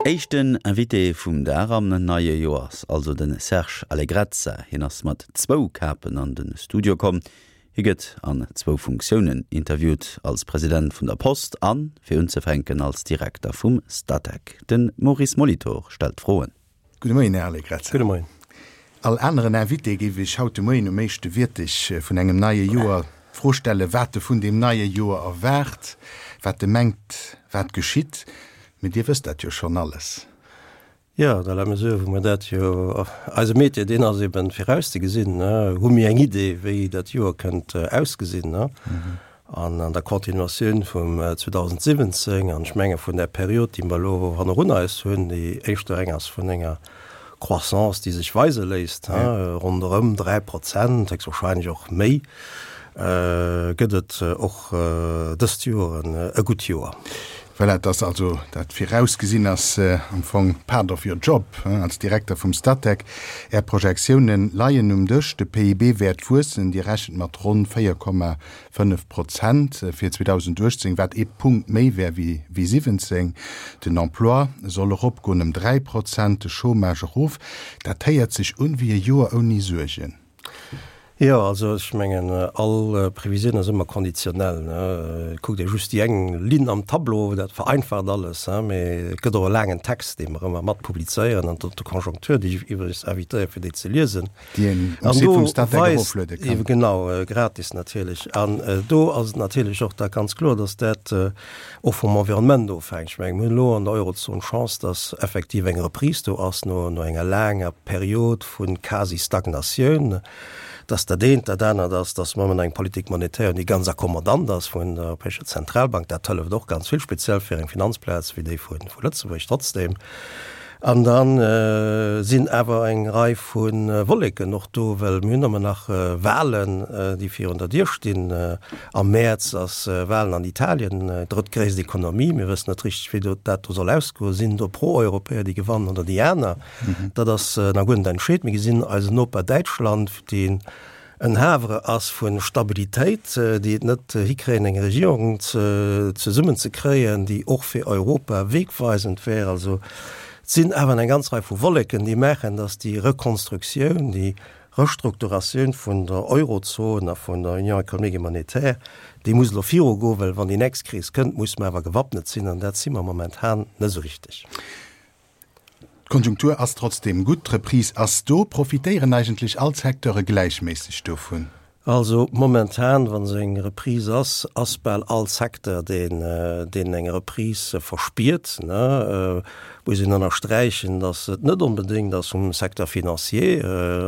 Éischten Invité vum Dag am neie Joer ass also de Serge Allegrezza. Hien ass mat zwou Kapen an de Studio komm. Hie gëtt an zwou Funktiounen interviewt, als President vun der Post an, fir unzefänken, als Direkter vum Statec. De Maurice Molitor stellt d'Froen. Gudde Moien, Här Allegrezza. Gudde Moien. All aneren Invité géif ech haut de Moien um éischte Wierteg vun engem neie Joer d'Fro stellen, wat e vun deem neie Joer erwaart, wat e mengt, wat geschitt. Mee Dir wësst dat jo schonn alles. Jo, dans la mesure wou mer dat jo, eise Métier deen ass eben virauszegesinn, hu mir eng Idee wéi dat Joer kënnt ausgesinn. An an der Continuatioun vum 2017, an ech menge vun där Period déi mer elo hannerun eis hunn, déi éischter eng ass vun enger Croissance déi sech weise léisst, ronderëm 3%, héchstwahrscheinlech och méi, gëtt et och dëst Joer e gutt Joer. Voilà, et ass also dat virausgesinn ass am Fong part of your job als Direkter vum Statec. Är Projektiounen leien um Dësch, de PIB wäert wuessen, Dir rechent mat ronn 4,5 Prozent fir 2018, wat ee Punkt méi wär wéi 17. Den Emploi soll eropgoen ëm 3 Prozent, de Chômage erof. Dat héiert sech un wéi e Joer ouni Suergen. Jo, also ech mengen, all Previsioun ass ëmmer konditionell, ne. Kuckt ee just déi eng Linn am Tableau, dat vereinfacht alles, hein, mee et gëtt och e laangen Text, dee mer ëmmer mat publizéieren an der Conjoncture, déi ech iwwregens invitéiere fir déi ze liesen. Déi een um Site vum Statec erofluede kann. An do weist, genau, gratis natierlech. An do ass et natierlech och da ganz kloer, datt dat och vum Environnement ofhänkt. Ech mengen, mir hunn elo an der Eurozon d'Chance, datt effektiv eng Reprise do ass no enger laanger Period vu quasi Stagnatioun. Dass dat eent dat anert ass, dass mer ëmmer eng Politique monétaire hunn, déi ganz accommodant ass vun der Europäescher Zentralbank, dat hëlleft och ganz vill, speziell fir eng Finanzplaz wéi déi vu Lëtzebuerg trotzdem. An da sinn awer eng Rei vu Wolleken och do, well mir hunn ëmmer nach Wahlen, déi virun der Dier stinn. Am Mäerz ass Wahlen an Italien, drëttgréisst Ekonomie. Mir wëssen net richteg, wéi dat do soll ausgoen. Sinn do Pro-Europäer, déi gewannen oder déi aner? Dat ass nach guer net entscheet. Mir gesinn eisen Noper Däitschland, deen en Havre ass vu Stabilitéit, déi et net hikréien, eng Regierung zesummen ze kréien, déi och fir Europa wegweisend wär. Also et sinn awer eng ganz Rei vu Wolleken, déi maachen, datt déi Rekonstruktioun, déi Restrukturatioun vun der Eurozon a vun der Union économique et monétaire, déi muss elo virugoen, well wann déi nächst Kris kënnt, musse mer awer gewappnet sinn, an dat si mer momentan net esou richteg. D'Konjunktur ass trotzdeem gutt, d'Reprise ass do. Profitéieren eigentlech all d'Secteure gläichméisseg dovun? Also momentan, wa se eng Reprise ass, ass bal all Secteur, deen deen eng Reprise verspiert. Muss een ënnersträichen, datt et net onbedéngt ass um Secteur financier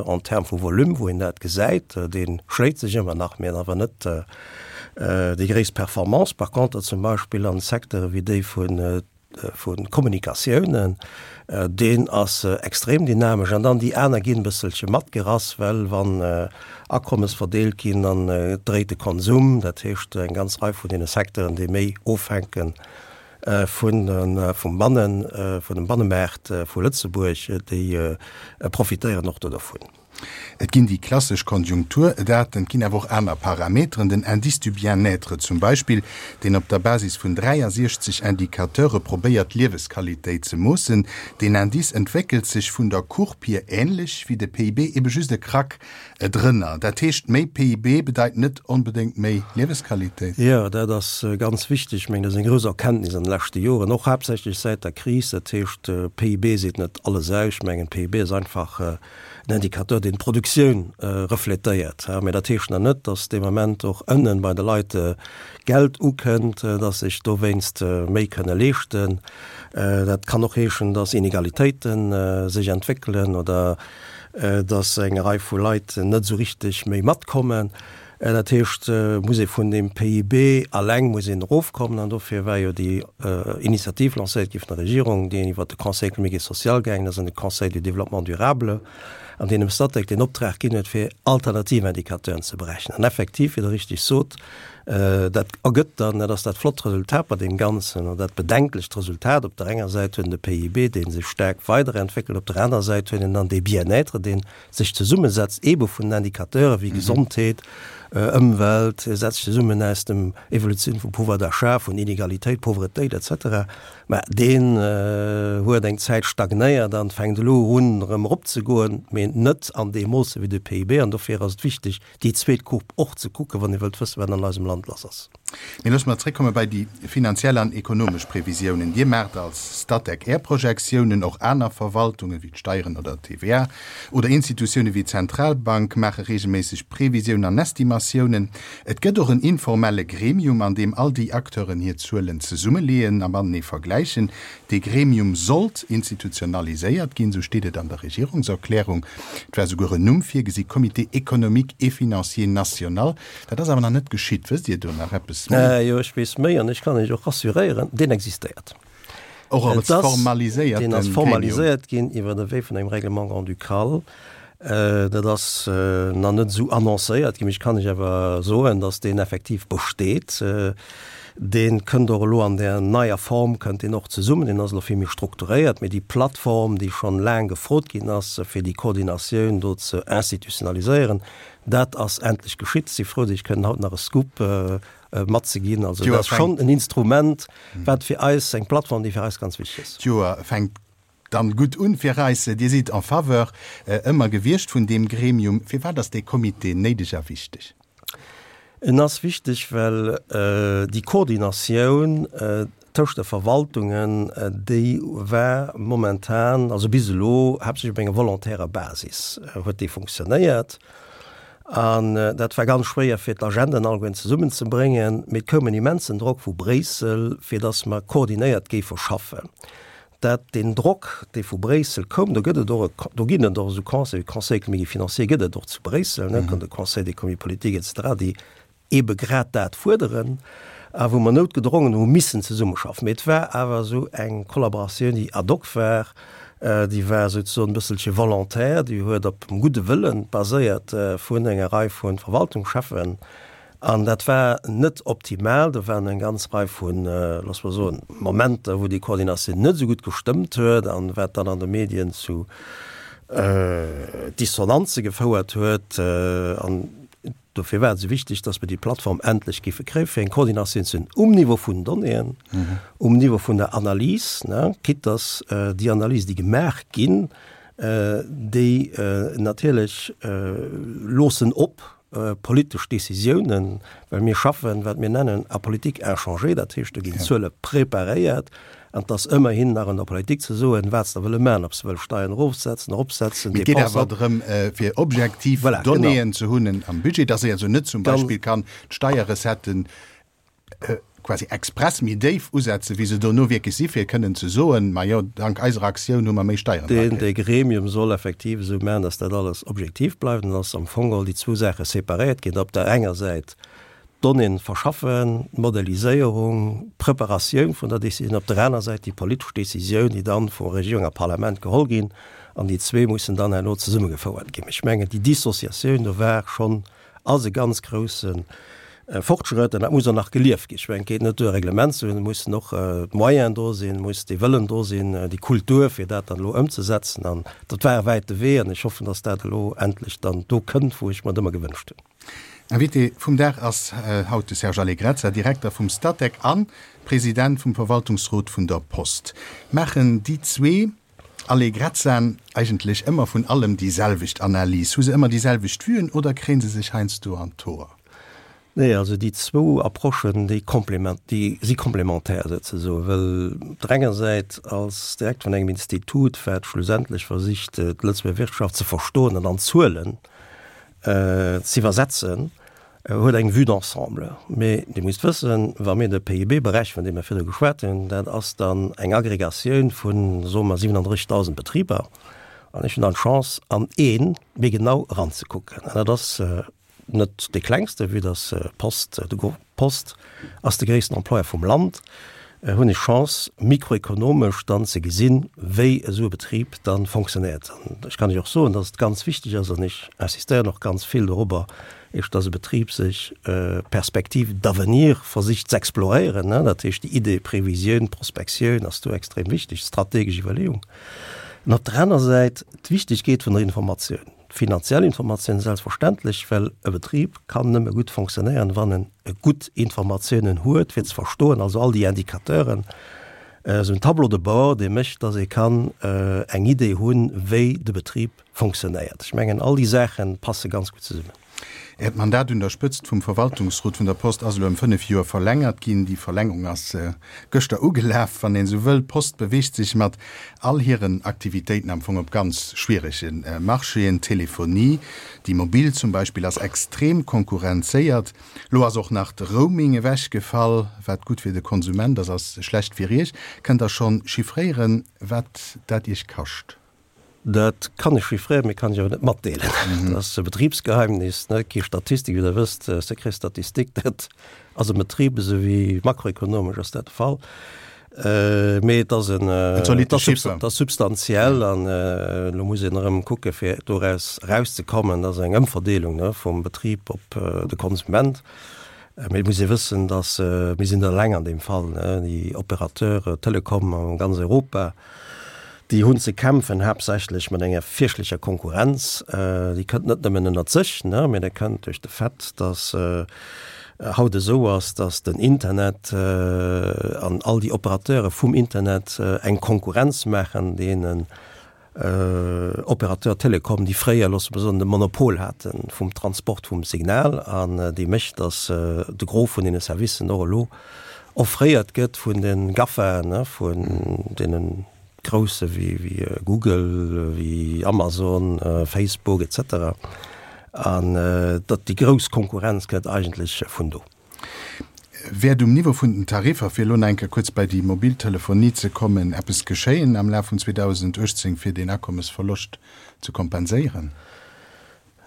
en termes vu Volume, wou een dat gesäit. Dee schléit sech ëmmer nach, mee awer net déi gréisst Performance. Par contre zum Beispill an Secteure wéi déi vun vu Kommunikatiounen, deen ass extrem dynamesch an dann déi aner ginn e bësselche matgerass, well wann Akommes verdeelt ginn, dann dréit de Konsum, dat heescht eng ganz Rei vun deene Secteuren, déi méi ofhänke vun vum Bannen, vun dem Bannemaart vu Lëtzebuerg, déi profitéieren och do dervun. Et ginn déi klassesch Konjunkturdaten, et ginn awer och aner Parameteren, den Indice du bien-être zum Beispill, deen op der Basis vun 63 Indicateure probéiert d'Liewesqualitéit ze moossen. Deen Indice entwéckelt sech vun der Courbe hier änlech wéi de PIB, ebe just e Krack drënner. Dat heescht, méi PIB bedeit net onbedéngt méi Liewesqualitéit? Jo, dat ass ganz wichteg. Ech mengen, dat ass eng grouss Erkenntnis an de leschte Joren, och haaptsächlech säit der Kris. Dat heescht, PIB seet net alles aus. Ech mengen, PIB ass einfach en Indicateur, deen d'Produktioun refletéiert. Mä dat heescht nach net, datt dee Moment och ënnen bei de Leit Geld ukënnt, datt sech dowéinst méi kënne leeschten. Dat kann och heeschen, datt Inegalitéite sech entwéckelen oder datt eng Rei vu Leit net esou richteg méi matkommen. Dat heescht, muss ee vun deem PIB alleng muss een erofkommen. An dofir war jo déi Initiativ lancéiert gi vun der Regierung, déi iwwert de Conseil économique et social gaangen ass an de Conseil du développement durable. an deen dem Statec den Optrag ginn huet, fir alternativ Indicateuren ze berechnen. An effektiv, wéi Der richtig sot, dat ergëtt dann, dat ass dat flott Resultat bei deem Ganzen, oder dat bedenklecht Resultat, op der enger Säit huet en de PIB, dee sech staark weiderentwéckelt, op der anerer Säit huet en dann dee Bien-être, dee sech zesummesetzt eebe vun den Indicateure wéi Gesondheet, Ëmwelt, setzt sech zesummen aus dem Evolutioun vum Pouvoir d'achat, vun Inegalitéit, Pauvretéit et cetera. Mä deen huet eng Zäit stagnéiert an fänkt elo un erëm eropzegoen, mee net an deem Moosse wéi de PIB. An dofir ass et wichteg, déi zweet Courbe och ze kucken, wann ee wëllt wëssen, wat an eisem Land lass ass. Mee loosse mer zréckkomme bei déi finanziell an ekonomesch Previsiounen. Dir maacht als Statec Är Projektiounen, och aner Verwaltungen, wéi d'Steieren oder d'TVA, oder Institutioune wéi d'Zentralbank maache reegelméisseg Previsiounen an Estimatiounen. Et gëtt och en informelle Gremium, an deem all déi Acteuren hir Zuelen zesummeleeën a matenee vergläichen. Dee Gremium sollt institutionaliséiert ginn, esou steet et an der Regierungserklärung. Et war souguer en Numm virgesi, Comité économique et financier national. Dat ass awer nach net geschitt. Wësst Dir do nach eppes méi? Jo, ech weess méi an ech kann Iech och rassuréieren, deen existéiert. Och als formaliséierte Gremium? Deen ass formaliséiert ginn iwwer de Wee vun engem Règlement grand-ducal. Dat ass nach net esou annoncéiert ginn, mee ech kann Iech awer soen, datt deen effektiv besteet. Dee kënnt och elo an där neier Form kënnt deen och zesummen. Deen ass elo vill méi strukturéiert. Mee déi Plattform, déi schonn laang gefrot ginn ass, fir déi Koordinatioun do ze institutionaliséieren, dat ass endlech geschitt. Ech si frou, datt ech kënnen haut nach e Scoop matzeginn. Also dat ass schonn en Instrument, wat fir eis, eng Plattform, déi fir eis ganz wichteg ass. D'Joer fänkt dann gutt un fir eis. Dir sidd en faveur ëmmer gewiescht vun deem Gremium. Firwat ass dee Comité néideg a wichteg? En ass wichteg, well déi Koordinatioun tëscht de Verwaltungen, déi war momentan, also bis elo, haaptsächlech op enger volontärer Basis huet déi funktionéiert. An dat war ganz schwéier fir d'Agenden allegueren zesummenzebréngen, mee et koum en immensen Drock vu Bréissel, fir datt mer koordinéiert géife schaffen. Dat, deen Drock, dee vu Bréissel koum, do gëtt et och e, do ginn et och esou Conseil, Conseil économique et financier gëtt et och zu Bréissel, ne, de Conseil d'économie politique et cetera, déi eebe grad dat fuerderen a wou mer noutgedrongen hu missen zesummeschaffen. Mee et war awer esou eng Kollaboratioun, déi ad hoc war, déi war souzesoen e bësselche volontaire, déi huet op dem gudde Wëlle baséiert vun enger Rei vu Verwaltungscheffen. An dat war net optimal. Do waren eng ganz Rei vu, loosse mer soen, Momenter, wou déi Koordinatioun net esou gutt gestëmmt huet an wat dann an de Medien zu Dissonanze gefouert huet. An dofir war et esou wichteg, dass mer déi Plattform endlech géife kréien, fir eng Koordinatioun ze hunn um Niveau vun den Donnéeën, um Niveau vun der Analys, quitte dass déi Analyse, déi gemaach ginn, déi natierlech loossen op politesch Décisiounen, well mir schaffen, wat mir nennen, à politique inchangée, dat heescht, do ginn Zuele preparéiert an et ass ëmmerhin nach un der Politik ze soen, wat se da wëlle maachen, ob se wëlle Steieren erofsetzen, eropsetzen, Mee et geet awer drëm, fir objektiv Donnéeën ze hunn am Budget, dass ee also net zum Beispill kann d'Steierrecetten quasi express méi déif usetzen, wéi se dono wierklech si fir kënnen ze soen, majo, dank eiser Aktioun hu mer méi Steieren erakritt. Dee Gremium soll effektiv esou maachen, datt dat alles objektiv bleift an datt am Fong geholl déi zwou Saache separéiert ginn, op der enger Säit d'Donnéeën verschaffen, d'Modelliséierung, d'Preparatioun vun der Décisioun, op der aner Säit déi politesch Décisioun, déi dann vu Regierung a Parlament geholl ginn, an déi zwee mussen dann herno zesummegefouert ginn. Ech mengen, déi Dissociatioun do war schonn ass e ganz grousse Fortschrëtt an dat muss och nach gelieft ginn. Ech mengen, et geet net duer, e Reglement ze hunn, et mussen och d'Moyenen do sinn, et muss dee Wëllen do sinn, déi Kultur, fir dat dann elo ëmzesetzen. An dat war e wäite Wee an ech hoffen, dass dat elo endlech dann do kënnt, wou ech mer et ëmmer gewënscht hunn. Invité vum Dag ass haut de Serge Allegrezza, Direkter vum Statec a President vum Verwaltungsrot vun der Post. Maachen déi zwee Allegrezzaen eigentlech ëmmer vun allem déi selwecht Analys? Hu se ëmmer déi selwecht Vuen oder kréien se sech heiansdo an d'Hoer? Nee, also déi zwou Approchen, déi complément, déi si complémentaire souzesoen, well op der enger Säit als Direkter vun engem Institut, wat schlussendlech versicht, d'Lëtzebuerger Wirtschaft ze verstoen an an Zuelen ze iwwersetzen, huet eng Vue d'ensemble. Mee Dir musst wëssen, wa mir de PIB berechnen, vun deem mir virdru geschwat hunn, dat ass dann eng Aggregatioun vu, soe mer, 37.000 Betriber. An ech hunn dann d'Chance, an ee méi genau eranzekucken. An dat ass net dee klengste, vue dass d'Post, de Groupe Post ass de gréissten Employeur vum Land. Hunn ech Chance, mikroekonomesch dann ze gesinn, wéi esou e Betrib dann fonctionnéiert. An ech kann lech och soen, dass et ganz wichteg ass, an ech insistéieren och ganz vill dorobber, iech, dass e Betrib sech Perspectives d'avenir versicht z'exploréieren. Dat heescht, déi Idee Previsioun, Prospektioun ass do extrem wichteg, strategesch Iwwerleeung. An op der aner Säit d'Wichtigkeet vun der Informatioun. Finanziell Informatioun selbstverständlech, well e Betrib kann nëmme gutt fonctionnéieren, wann en gutt Informatiounen huet, fir ze verstoen, also all déi Indicateuren, esou en Tableau de bord, dee mécht, dass ee kann eng Idee hunn, wéi de Betrib fonctionnéiert. Ech mengen, all déi Saache passe ganz gutt zesummen. Äert Mandat un der Spëtzt vum Verwaltungsrot vun der Post ass elo ëm 5 Joer verlängert ginn. Déi Verlängerung ass gëschter ugelaf, wann een esou wëll. D'Post beweegt sech mat all hiren Aktivitéiten am Fong op ganz schwierege Marchéen. D'Telefonie, déi mobil zum Beispill, ass extrem konkurrenzéiert. Lo ass och nach de Roaming ewechgefall. Wat gutt fir de Konsument ass, ass schlecht fir Iech. Kënnt Der schonn chiffréieren, wat dat Iech kascht? Dat kann ech chiffréieren, mee kann ech awer net matdeelen. Dat ass e Betribsgeheimnis, ne, kee Statistik, wéi Der wësst, Secret statistique, dat ass am Betrib esou wéi makroekonomesch ass dat de Fall. Mee et ass en, En zolitte Chiffer. et ass substantiell an elo muss een erëm kucke fir doraus erauszekommen. Dat ass eng Ëmverdeelung, ne, vum Betrib op de Konsument. Mee et muss ee wëssen, datt, mir sinn net eleng an deem Fall, ne, déi Opérateurs Telecom a ganz Europa, Déi hunn ze kämpfen haaptsächlech mat enger fierchtlecher Konkurrenz. Déi kënnt net nëmmen ënnert sech, mee dat kënnt duerch de Fait, datt haut esou ass, datt den Internet an all déi Opérateure vum Internet eng Konkurrenz maachen deenen Opérateurs Télécom, déi fréier, loosse mer soen, de Monopol hate vum Transport vum Signal an déi mécht, datt de Gros vun deene Servicen och elo offréiert gëtt vun de GAFAen, vun deene grousse wéi Google, wéi Amazon, Facebook et cetera. An datt déi grouss Konkurrenz kënnt eigentlech vun do. Wäert um Niveau vun den Tariffer, fir elo nach eng Kéier kuerz bei déi mobil Telefonie ze kommen, eppes geschéien am Laf vun 2018, fir deen Akommesverloscht ze kompenséieren?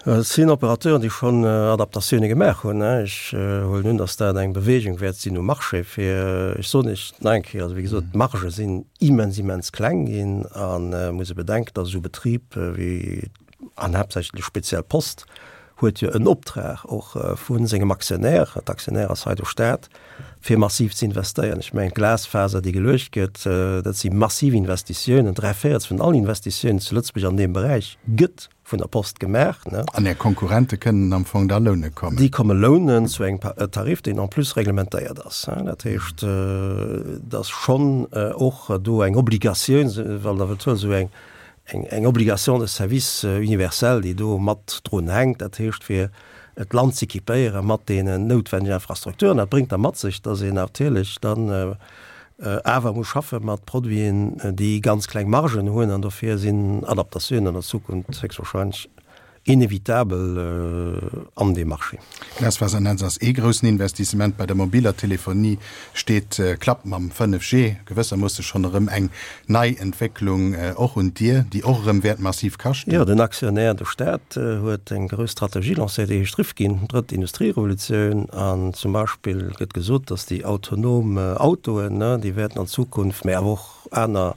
Et sinn Operateuren, déi schonn Adaptatioune gemaach hunn. Ech huelen un, datt dat eng Beweegung wäert sinn um Marché, fir, ech soen Iech nach eng Kéier, also wéi gesot, d'Margë sinn immens, immens kleng ginn an et muss ee bedenken, datt esou Betrib wéi, an haaptsächlech speziell d'Post, huet jo en Optrag och vu sengem Aktionär, d'Aktionär ass hei de Staat, fir massiv ze investéieren. Ech mengen, d'Glasfaser, déi geluecht gëtt, dat si massiv Investitiounen, dräivéierts vun allen Investitiounen zu Lëtzebuerg an deem Beräich gëtt vun der Post gemaach, ne. An Är Konkurrente kënnen am Fong da loune kommen? Déi komme lounen zu engem Tarif, deen en plus reglementéiert ass. Dat heescht, et ass schonn och do eng Obligatioun, wann Der wëllt soen, esou eng, eng Obligation de service universel, déi do mat drun hänkt. Dat heescht, fir d'Land z'équipéiere mat deenen noutwennegen Infrastrukturen. Dat bréngt da mat sech, dass een natierlech dann awer muss schaffe mat Produiten, déi ganz kleng Margen hunn, an dofir sinn Adaptatiounen an der Zukunft héchstwahrscheinlech inevitabel an deem Marché. D'Glasfasernetz ass ee groussen Investissement. Bei der mobiler Telefonie steet, klappt mam 5G gewëssermoosse schonn erëm eng nei Entwécklung och un d'Dier, déi och erëm wäert massiv kaschten. Jo, den Aktionär, de Staat, huet eng grouss Strategie lancéiert, déi heescht Rifkin, drëtt Industrierevolutioun. An zum Beispill gëtt gesot, datt déi autonom Autoen, déi wäerten an Zukunft, mä awer och aner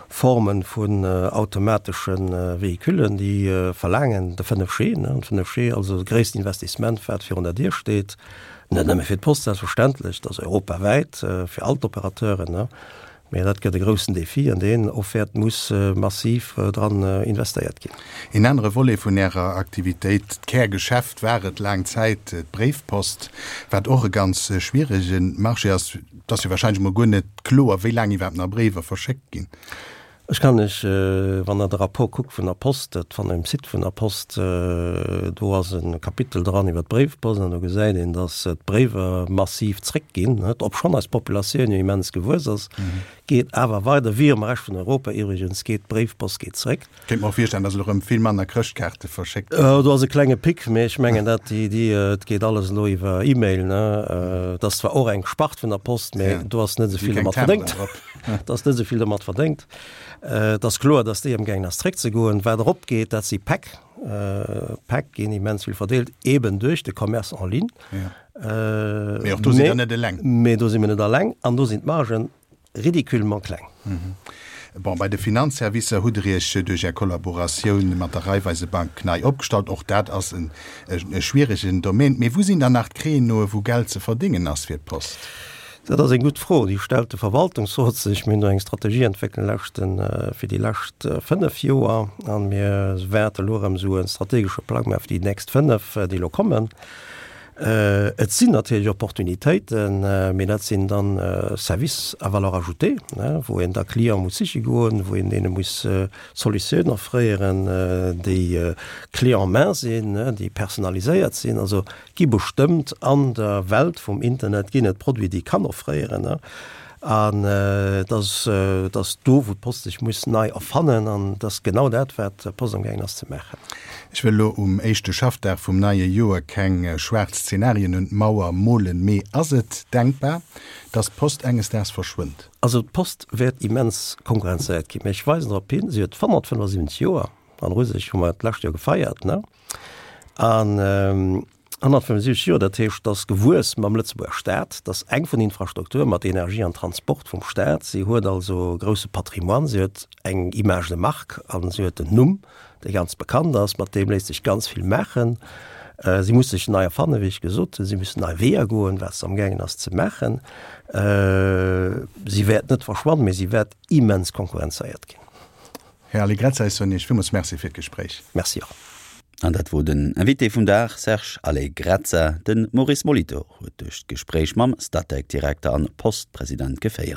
Forme vun automatesche Véhiculen, déi verlaangen de 5G. An 5G, also de gréissten Investissement, wat virun der Dier steet, net nëmme fir d'Post selbstverständlech, dat ass europawäit fir all d'Operateuren. Mä dat gëtt e groussen Défi, an deen och wäert muss massiv dran investéiert ginn. Een anere Volet vun Ärer Aktivitéit, d'Kärgeschäft war et laang Zäit d'Bréifpost, wat och e ganz schwierege Marché ass. Et ass jo wahrscheinlech emol guer net kloer, wéi laang iwwerhaapt nach Bréiwer verschéckt ginn. Ech kann lech, wann Der de Rapport kuckt vun der Post, dat fannt Der um Site vun der Post, do ass e Kapitel dran iwwer d'Bréifpost an do gesäit een, datt d'Bréiwer massiv zréckginn, obschonn eis Populatioun jo immens gewuess ass, geet awer weider, wéi am Rescht vun Europa iwwregens, geet d'Bréifpost geet zréck. Kéint mer och virstellen, datt elo rëm vill manner Chrëschtkaarte verschéckt ginn. Do ass e klenge Pic, mee ech mengen dat déi, déi, et geet alles elo iwwer E-Mail, ne. Et ass zwar och eng Spart vun der Post, mee do ass net esou vill domat verdéngt. Et ass net esou vill domat verdéngt. Et ass kloer, datt déi amgaangen ass zréckzegoen. Wat eropgeet, dat si Päck. Päck ginn immens vill verdeelt, eeben duerch de Commerce en ligne. Mee och do sidd Der net eleng. Mee do si mir net eleng an do sinn d'Margen. ridiculement kleng. Bon, bei de Finanzservicer hutt Der Iech duerch Är Kollaboratioun mat der Raiffeisebank nei opgestallt. Och dat ass e schwieregen Domaine. Mee wou sinn dann nach d'Créneaue wou Geld ze verdéngen ass fir d'Post? Dat ass eng gutt Fro, déi stellt de Verwaltungsrot sech. Mir hunn do eng Strategie entwéckelt leschten, fir déi lescht 5 Joer a mir wäerte elo erëm esou e strategesche Plang maachen fir déi nächst 5, déi elo kommen. Et sinn natierlech Opportunitéiten, mee dat sinn dann Services à valeur ajoutée, wou een da Client muss siche goen, wou een deene muss Solutiounen offréieren, déi clé en main sinn, déi personaliséiert sinn. Also gi bestëmmt an der Welt vum Internet ginn et Produiten, déi ee kann offréieren. An et ass, et ass do, wou d'Post sech muss nei erfannen. An et ass genau dat, wat d'Post amgaangen ass ze maachen. Ech wëll elo um éischte Schaffdag vum neie Joer keng schwaarz Zenarien un d'Mauer molen, mee ass et denkbar, dass d'Post enges Daags verschwënnt? Also d'Post wäert immens konkurrenzéiert ginn. Mee ech weisen drop hin, si huet 175 Joer, an u sech hu mer d'lescht Joer gefeiert, ne? An 175 Joer, dat heescht, dat ass gewuess mam Lëtzebuerger Staat, dat ass eng vun den Infrastrukture mat Energie an Transport vum Staat. Si huet also e grousse Patrimoine, si huet eng Image de marque an si huet en Numm, dee ganz bekannt ass, mat deem léisst sech ganz vill maachen. Si muss sech nei erfannen, wéi ech gesot hunn, si muss nei Weeër goen, wat se amgaangen ass ze maachen. Si wäert net verschwannen, mee si wäert immens konkurrenzéiert ginn. Här Allegrezza, ech soen Iech villmools Merci fir d'Gespréich. Merci och. An dat wor den Invité vum Dag, Serge Allegrezza. De Maurice Molitor huet duerch d'Gespréich mam Statec-Direkter an Post-President geféiert.